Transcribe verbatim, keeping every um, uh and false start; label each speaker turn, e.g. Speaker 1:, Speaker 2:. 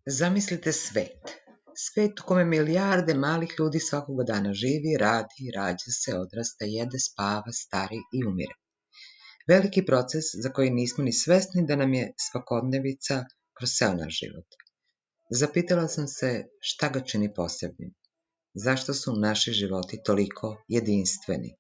Speaker 1: Zamislite svet. Svet u kome milijarde malih ljudi svakoga dana živi, radi, rađa se, odrasta, jede, spava, stari i umire. Veliki proces za koji nismo ni svesni da nam je svakodnevica kroz ceo naš život. Zapitala sam se šta ga čini posebnim. Zašto su naši životi toliko jedinstveni?